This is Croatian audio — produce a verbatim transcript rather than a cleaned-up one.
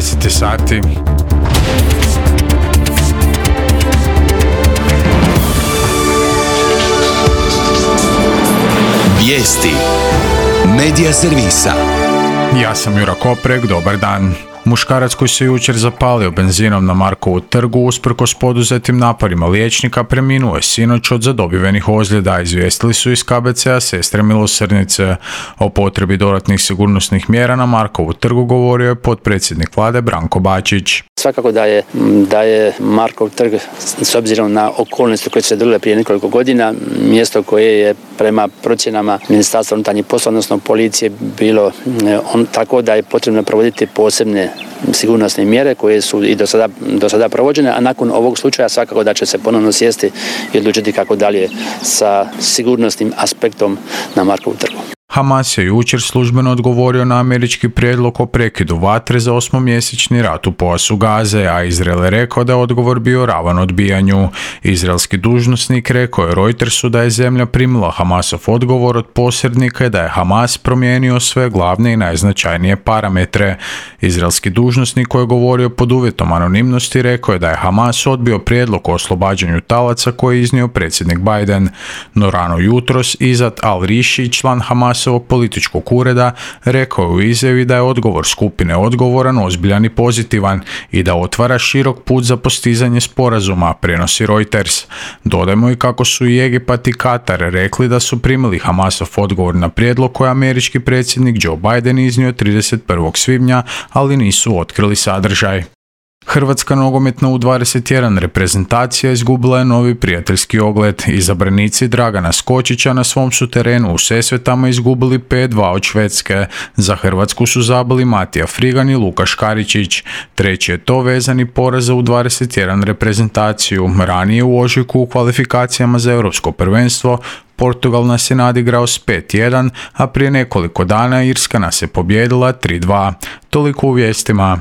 deset sati. Vijesti Medija servisa. Ja sam Jura Koprek, dobar dan. Muškarac koji se jučer zapalio benzinom na Markovu trgu usprkos poduzetim naporima liječnika preminuo je sinoć od zadobivenih ozljeda, izvijestili su iz K B C-a Sestre milosrdnice. O potrebi dodatnih sigurnosnih mjera na Markovu trgu govorio je potpredsjednik vlade Branko Bačić. Svakako da je, da je Markov trg, s obzirom na okolnosti koje su se dogodile prije nekoliko godina, mjesto koje je prema procjenama Ministarstva unutarnjih poslova, odnosno policije, bilo on, tako da je potrebno provoditi posebne sigurnosne mjere koje su i do sada, do sada provođene, a nakon ovog slučaja svakako da će se ponovno sjesti i odlučiti kako dalje sa sigurnosnim aspektom na Markovu trgu. Hamas je jučer službeno odgovorio na američki prijedlog o prekidu vatre za osmomjesečni rat u pojasu Gaze, a Izrael je rekao da je odgovor bio ravan odbijanju. Izraelski dužnosnik rekao je Reutersu da je zemlja primila Hamasov odgovor od posrednika i da je Hamas promijenio sve glavne i najznačajnije parametre. Izraelski dužnosnik koji je govorio pod uvjetom anonimnosti rekao je da je Hamas odbio prijedlog o oslobađanju talaca koji je iznio predsjednik Biden. No rano jutros Izat al-Riši, član Hamas ovog političkog ureda, rekao je u izjavi da je odgovor skupine odgovoran, ozbiljan i pozitivan i da otvara širok put za postizanje sporazuma, prenosi Reuters. Dodajmo i kako su i Egipat i Katar rekli da su primili Hamasov odgovor na prijedlog koji je američki predsjednik Joe Biden iznio trideset prvog svibnja, ali nisu otkrili sadržaj. Hrvatska nogometna U dvadeset jedan reprezentacija izgubila je novi prijateljski ogled. Izabranici Dragana Skočića na svom su terenu u Sesvetama izgubili pet dva od Švedske. Za Hrvatsku su zabili Matija Frigan i Luka Škaričić. Treći je to vezani poraz za U dvadeset jedan reprezentaciju. Ranije u ožujku u kvalifikacijama za europsko prvenstvo Portugal nas je nadigrao s pet jedan, a prije nekoliko dana Irska nas je pobijedila tri dva. Toliko u vijestima.